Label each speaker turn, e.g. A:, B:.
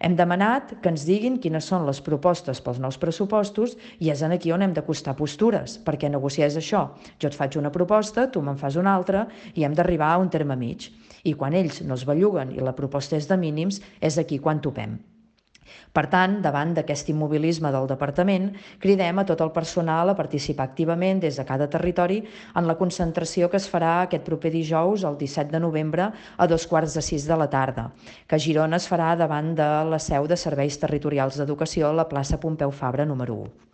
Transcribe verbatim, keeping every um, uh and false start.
A: Hem demanat que ens diguin quines són les propostes pels nous pressupostos i és aquí on hem d'acostar postures, perquè negociar és això. Jo et faig una proposta, tu me'n fas una altra i hem d'arribar a un terme mig. I quan ells no es belluguen i la proposta és de mínims, és aquí quan topem. Per tant, davant d'aquest immobilisme del departament, cridem a tot el personal a participar activament des de cada territori en la concentració que es farà aquest proper dijous, el disset de novembre, a dos quarts de sis de la tarda, que a Girona es farà davant de la seu de Serveis Territorials d'Educació a la plaça Pompeu Fabra número u.